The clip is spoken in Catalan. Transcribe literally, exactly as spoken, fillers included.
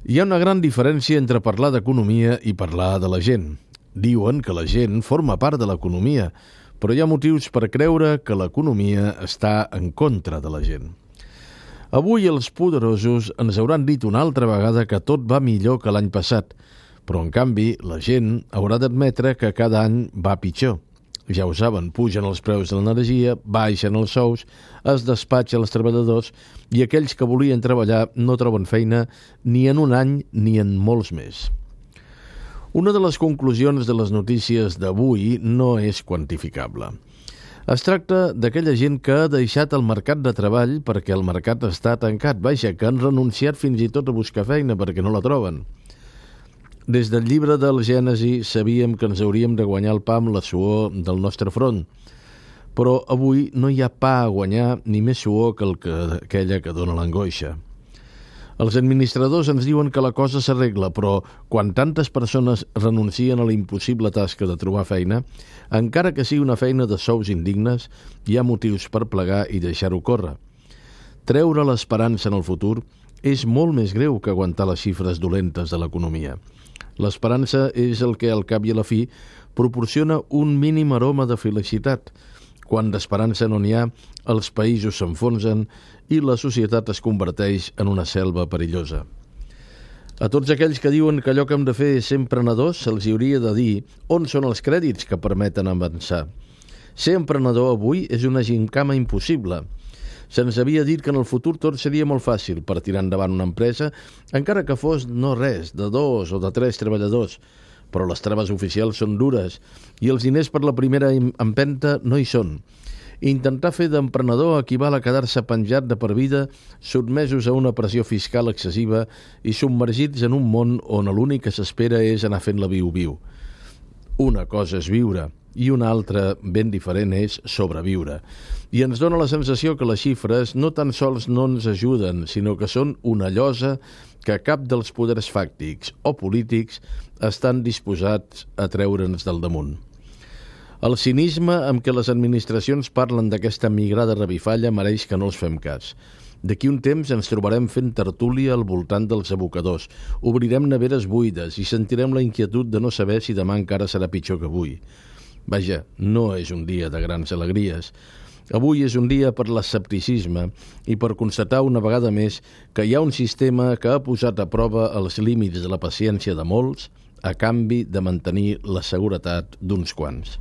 Hi ha una gran diferència entre parlar d'economia i parlar de la gent. Diuen que la gent forma part de l'economia, però hi ha motius per creure que l'economia està en contra de la gent. Avui els poderosos ens hauran dit una altra vegada que tot va millor que l'any passat, però en canvi la gent haurà d'admetre que cada any va pitjor. Ja ho saben, pugen els preus de l'energia, baixen els sous, es despatxa els treballadors i aquells que volien treballar no troben feina ni en un any ni en molts més. Una de les conclusions de les notícies d'avui no és quantificable. Es tracta d'aquella gent que ha deixat el mercat de treball perquè el mercat està tancat, vaja, que han renunciat fins i tot a buscar feina perquè no la troben. Des del llibre del Gènesi sabíem que ens hauríem de guanyar el pa amb la suor del nostre front, però avui no hi ha pa a guanyar ni més suor que, el que aquella que dona l'angoixa. Els administradors ens diuen que la cosa s'arregla, però quan tantes persones renuncien a la impossible tasca de trobar feina, encara que sigui una feina de sous indignes, hi ha motius per plegar i deixar-ho córrer. Treure l'esperança en el futur és molt més greu que aguantar les xifres dolentes de l'economia. L'esperança és el que, al cap i a la fi, proporciona un mínim aroma de felicitat. Quan d'esperança no n'hi ha, els països s'enfonsen i la societat es converteix en una selva perillosa. A tots aquells que diuen que allò que hem de fer és ser emprenedors, se'ls hauria de dir on són els crèdits que permeten avançar. Ser emprenedor avui és una gimcana impossible. Se'ns havia dit que en el futur tot seria molt fàcil per tirar endavant una empresa, encara que fos no res, de dos o de tres treballadors. Però les traves oficials són dures i els diners per la primera empenta no hi són. Intentar fer d'emprenedor equival a quedar-se penjat de per vida, sotmesos a una pressió fiscal excessiva i submergits en un món on l'únic que s'espera és anar fent la viu-viu. Una cosa és viure i una altra, ben diferent, és sobreviure. I ens dona la sensació que les xifres no tan sols no ens ajuden, sinó que són una llosa que cap dels poders fàctics o polítics estan disposats a treure'ns del damunt. El cinisme amb què les administracions parlen d'aquesta migrada revifalla mereix que no els fem cas. D'aquí un temps ens trobarem fent tertúlia al voltant dels abocadors, obrirem neveres buides i sentirem la inquietud de no saber si demà encara serà pitjor que avui. Vaja, no és un dia de grans alegries. Avui és un dia per l'escepticisme i per constatar una vegada més que hi ha un sistema que ha posat a prova els límits de la paciència de molts a canvi de mantenir la seguretat d'uns quants.